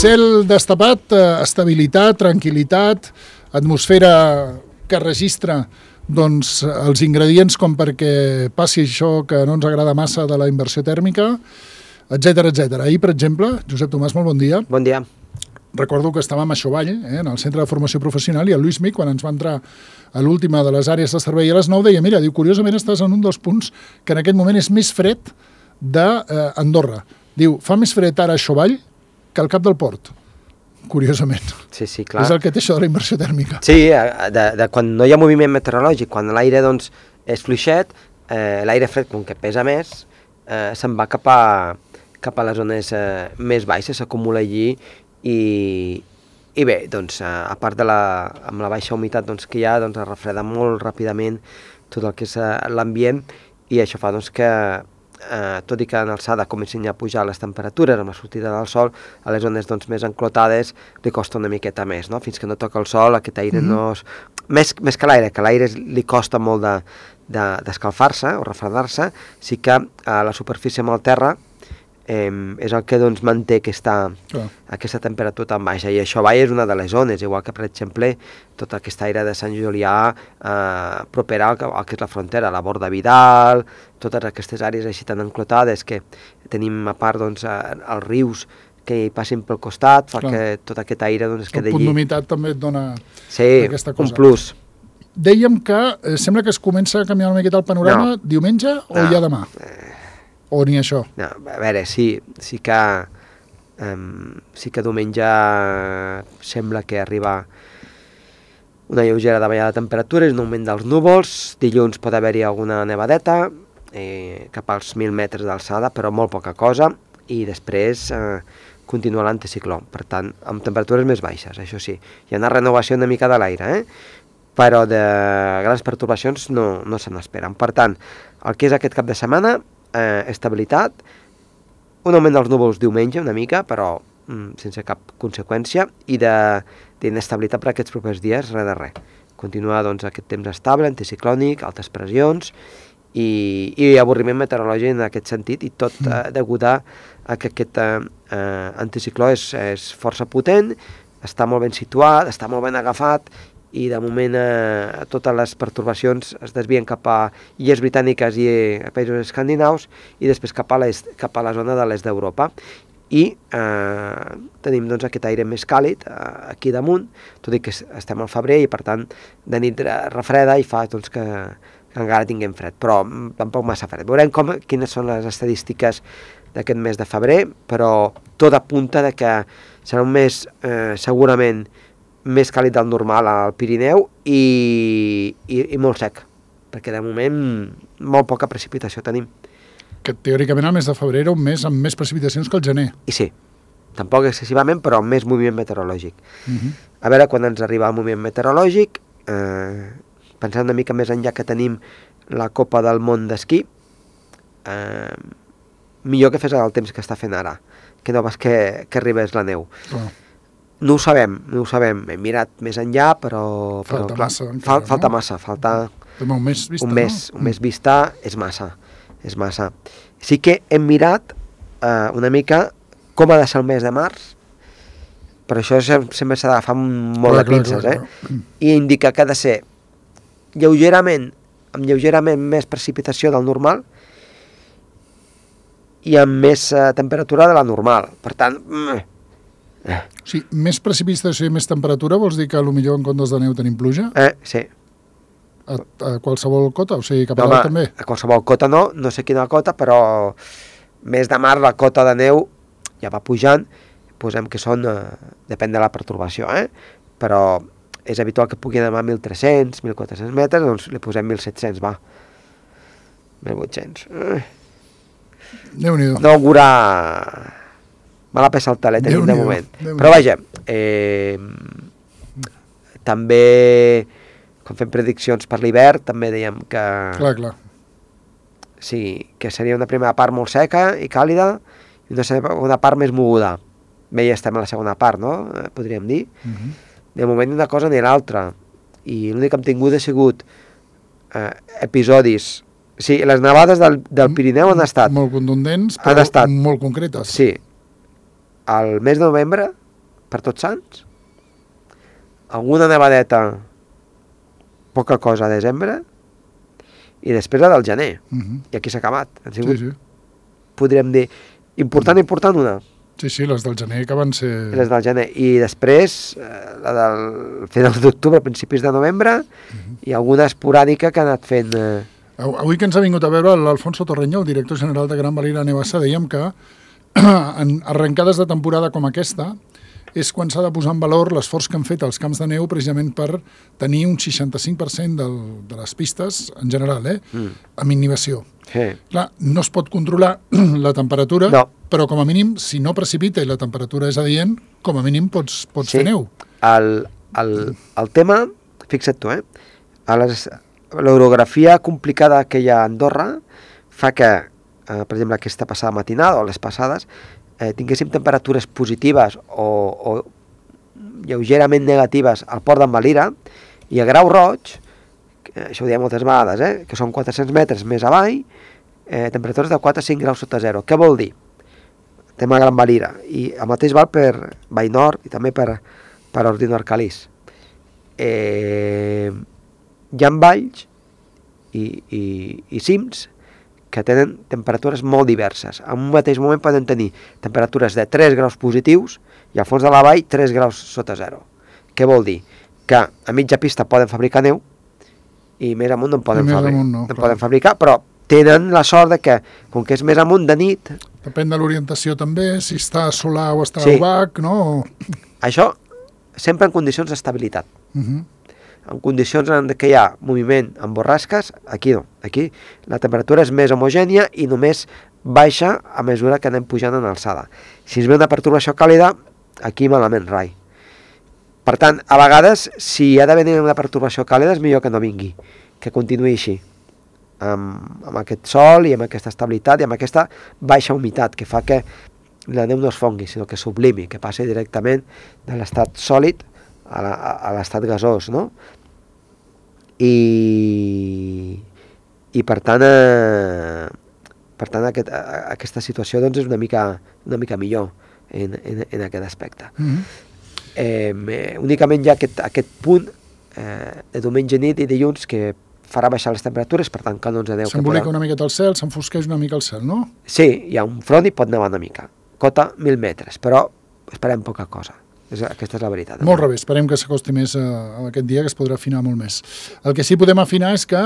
Cel destapat, estabilitat, tranquil·litat, atmosfera que registra doncs, els ingredients com perquè passi això que no ens agrada massa de la inversió tèrmica, etc etc. Ahir, per exemple, Josep Tomàs, molt bon dia. Bon dia. Recordo que estàvem a Xovall, en el Centre de Formació Professional, i el Lluís Mig, quan ens va entrar a l'última de les àrees de servei a les 9, deia, mira, diu, curiosament estàs en un dels punts que en aquest moment és més fred d'Andorra. Diu, fa més fred ara a Xovall que al cap del port. Curiosament. Sí, sí, clar. És el que té això de la inversió tèrmica. Sí, de quan no hi ha moviment meteorològic, quan l'aire doncs, és fluixet, l'aire fred, com que pesa més, se'n va cap a les zones més baixes, s'acumula allí i bé, doncs, a part amb la baixa humitat doncs, que hi ha, doncs, es refreda molt ràpidament tot el que és l'ambient i això fa doncs, que tot i que en alçada comencin a pujar les temperatures amb la sortida del sol, a les zones doncs, més enclotades li costa una miqueta més, no? Fins que no toca el sol, aquest aire no és... Més que l'aire li costa molt d'escalfar-se o refredar-se, sí que la superfície amb el terra és el que doncs, manté aquesta temperatura tan baixa, i això és una de les zones, igual que per exemple tota aquesta aire de Sant Julià propera al que és la frontera, la Borda Vidal, totes aquestes àrees així tan enclotades que tenim a part doncs, els rius que hi passin pel costat, fa que tot aquest aire doncs, es quedi allí. El punt d'humitat també et dona aquesta cosa. Sí, un plus. Dèiem que sembla que es comença a canviar una miqueta el panorama diumenge o ja demà? O ni això? No, a veure, sí que diumenge sembla que arriba una lleugera davallada de temperatures, un augment dels núvols, dilluns pot haver-hi alguna nevadeta, cap als 1.000 metres d'alçada, però molt poca cosa, i després continua l'anticicló, per tant, amb temperatures més baixes, això sí. Hi ha una renovació una mica de l'aire, però de grans pertorbacions no se n'esperen. Per tant, el que és aquest cap de setmana, estabilitat, un augment dels núvols diumenge una mica, però sense cap conseqüència, i d'inestabilitat per aquests propers dies, res de res. Continua doncs, aquest temps estable, anticiclònic, altes pressions i avorriment meteorològic en aquest sentit, i tot degut a que aquest anticicló és força potent, està molt ben situat, està molt ben agafat, i de moment totes les pertorbacions es desvien cap a illes britàniques i a països escandinaus i després cap a la zona de l'est d'Europa. I tenim doncs, aquest aire més càlid aquí damunt, tot i que estem al febrer i per tant de nit refreda i fa doncs, que encara tinguem fred, però tampoc massa fred. Veurem quines són les estadístiques d'aquest mes de febrer, però tot apunta que serà un mes segurament més càlid del normal al Pirineu i molt sec, perquè de moment molt poca precipitació tenim. Que teòricament el mes de febrer era un mes amb més precipitacions que el gener. I sí, tampoc excessivament, però amb més moviment meteorològic. A veure quan ens arriba el moviment meteorològic, pensant una mica més enllà que tenim la Copa del Món d'esquí, millor que fes el temps que està fent ara, que no pas que arribés la neu. No ho sabem, hem mirat més enllà, però falta massa. Falta un mes vista, un mes vista és massa. Sí que hem mirat una mica com ha de ser el mes de març, però això sempre s'ha d'agafar molt de pinces, i indica que ha de ser amb lleugerament més precipitació del normal i amb més temperatura de la normal. Per tant, sí, més precipitació i més temperatura vols dir que potser en comptes de neu tenim pluja? Sí. A qualsevol cota? O sigui, cap a dalt també? A qualsevol cota no sé quina cota, però mes de març la cota de neu ja va pujant, posem que són, depèn de la pertorbació, però és habitual que pugui anar a 1.300, 1.400 metres, doncs li posem 1.700, va. 1.800. Déu-n'hi-do. No augura... Me la pesa el talet tenim de moment. Però vaja, també, quan fem prediccions per l'hivern, també dèiem que... Clar. Sí, que seria una primera part molt seca i càlida i una segona part més moguda. Bé, ja estem a la segona part, no? Podríem dir. De moment ni una cosa ni l'altra. I l'únic que hem tingut ha sigut episodis... Sí, les nevades del Pirineu han estat... Molt contundents, però molt concretes. Sí. Al mes de novembre per Tots Sants, alguna nevadeta, poca cosa a desembre, i després la del gener. I aquí s'ha acabat. Han sigut, Sí. podríem dir, important una. Sí, les del gener que van ser... Les del gener. I després, la del final d'octubre, principis de novembre, i alguna esporàdica que ha anat fent... Avui que ens ha vingut a veure l'Alfonso Torreño, el director general de Gran Valira Nevassa, dèiem que en arrencades de temporada com aquesta és quan s'ha de posar en valor l'esforç que han fet els camps de neu precisament per tenir un 65% de les pistes, en general, amb inhibició. Sí. Clar, no es pot controlar la temperatura, No. però com a mínim, si no precipita i la temperatura és adient, com a mínim pots fer neu. El tema, fixa't tu, l'orografia complicada que hi ha a Andorra fa que, per exemple, aquesta passada matinada o les passades, tinguéssim temperatures positives o lleugerament negatives al port d'en Valira, i a Grau Roig, això ho diem moltes vegades, que són 400 metres més avall, temperatures de 4 a 5 graus sota zero. Què vol dir? Tema Gran Valira. I el mateix val per Vallnord i també per Ordino Arcalís. Hi ha valls i cims que tenen temperatures molt diverses. En un mateix moment poden tenir temperatures de 3 graus positius i al fons de la vall 3 graus sota zero. Què vol dir? Que a mitja pista poden fabricar neu i més amunt no en poden fabricar, però tenen la sort de que, com que és més amunt de nit... Depèn de l'orientació també, si està solar o està opac, no? Això sempre en condicions d'estabilitat. En condicions en què hi ha moviment amb borrasques, aquí no. Aquí la temperatura és més homogènia i només baixa a mesura que anem pujant en alçada. Si es ve una pertorbació càlida, aquí malament rai. Per tant, a vegades, si ha de venir una pertorbació càlida, és millor que no vingui, que continuï així, amb aquest sol i amb aquesta estabilitat i amb aquesta baixa humitat que fa que la neu no es fongui, sinó que sublimi, que passi directament de l'estat sòlid a l'estat gasós, no? I per tant, aquesta situació doncs, és una mica millor en aquest aspecte. Únicament hi ha aquest punt de diumenge nit i dilluns que farà baixar les temperatures, per tant que no ens aneu... S'embolica una miqueta el cel, s'enfosqueix una mica el cel, no? Sí, hi ha un front i pot nevar una mica. Cota 1.000 metres, però esperem poca cosa. Aquesta és la veritat. Molt rebé, esperem que s'acosti més a aquest dia, que es podrà afinar molt més. El que sí podem afinar és que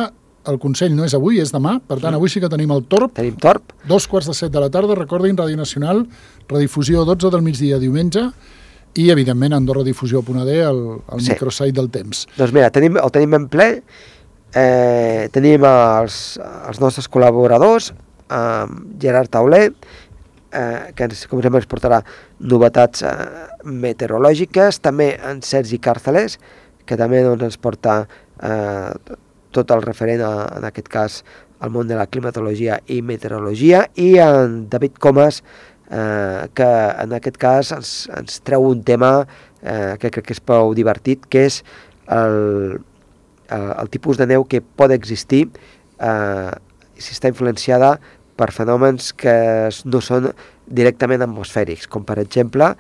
el Consell no és avui, és demà, per tant avui sí que tenim el Torb. Tenim Torb. 2:45 de la tarda, recordin, Ràdio Nacional, redifusió 12 del migdia diumenge, i evidentment Andorra Difusió.d, el microsite del temps. Doncs mira, el tenim en ple, tenim els nostres col·laboradors, Gerard Tauler, que com sempre ens portarà novetats meteorològiques, també en Sergi Càrceles, que també ens porta tot el referent, en aquest cas, al món de la climatologia i meteorologia, i en David Comas, que en aquest cas ens treu un tema que crec que és prou divertit, que és el tipus de neu que pot existir si està influenciada per fenòmens que no són directament atmosfèrics, com per exemple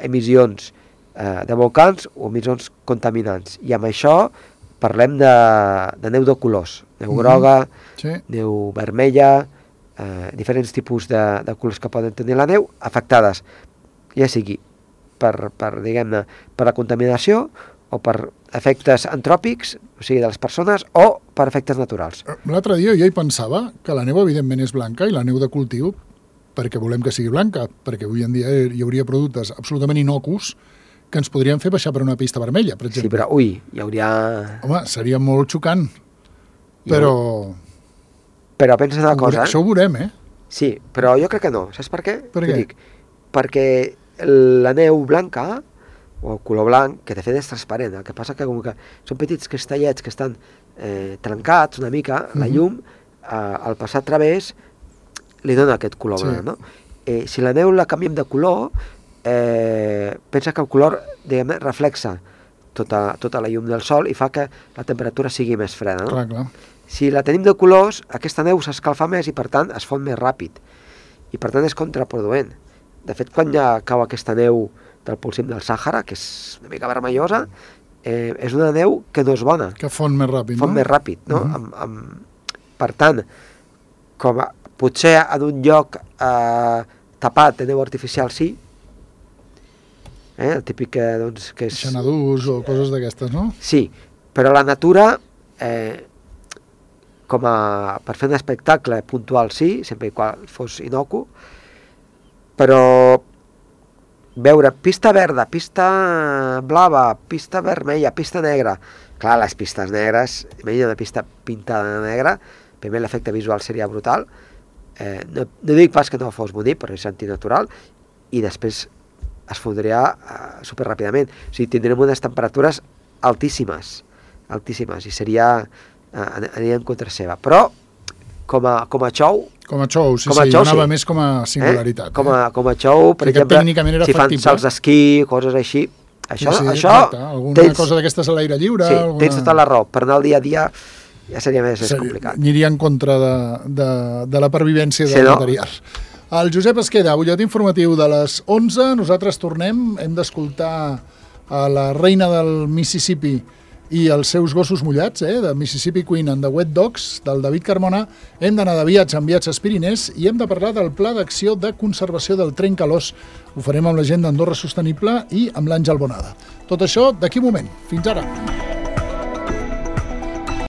emissions de volcans o emissions contaminants. I amb això parlem de neu de colors, neu groga, neu vermella, diferents tipus de colors que poden tenir la neu afectades, ja sigui per la contaminació o per efectes antròpics, o sigui, de les persones, o per efectes naturals. L'altre dia jo hi pensava que la neu evidentment és blanca i la neu de cultiu perquè volem que sigui blanca, perquè avui en dia hi hauria productes absolutament innocus que ens podrien fer baixar per una pista vermella, per exemple. Sí, però, hi hauria... Home, seria molt xocant, però... Però pensa una cosa... Això ho veurem, Sí, però jo crec que no. Saps per què? Per què? Perquè la neu blanca, o el color blanc, que de fet és transparent, el que passa que com que són petits cristallets que estan trencats una mica, la llum, al passar a través, li dona aquest color blanc, no? Si la neu la canviem de color, pensa que el color, diguem-ne, reflexa tota la llum del sol i fa que la temperatura sigui més freda, no? Clar. Si la tenim de colors, aquesta neu s'escalfa més i, per tant, es fon més ràpid. I, per tant, és contraproduent. De fet, quan ja cau aquesta neu del Polsim del Sàhara, que és una mica vermellosa, és una neu que no és bona. Que fon més ràpid, Fon més ràpid, no? Per tant, potser en un lloc tapat de neu artificial sí, el típic doncs, que és... Xanadús o coses d'aquestes, no? Sí, però la natura, per fer un espectacle puntual sí, sempre i quan fos inocu, però veure pista verda, pista blava, pista vermella, pista negra, clar, les pistes negres, imagina una pista pintada de negra, primer l'efecte visual seria brutal, no dic pas que no fos bonic, però és antinatural, i després es fondria superràpidament. O sigui, tindrem unes temperatures altíssimes, i aniria en contra seva. Però, com a xou... Com a xou, sí, anava més com a singularitat. Com a xou, per exemple, si fan salts d'esquí, coses així, això alguna cosa d'aquestes a l'aire lliure... Sí, tens tota la raó. Per anar al dia a dia ja seria més complicat. Aniria en contra de la pervivència del material. El Josep Esqueda, butlletí informatiu de les 11. Nosaltres tornem, hem d'escoltar a la reina del Mississippi i els seus gossos mullats, de Mississippi Queen and the Wet Dogs, del David Carmona. Hem d'anar de viatge amb Viatges Pirinès i hem de parlar del Pla d'Acció de Conservació del Trencalòs. Ho farem amb la gent d'Andorra Sostenible i amb l'Àngel Bonada. Tot això d'aquí un moment. Fins ara.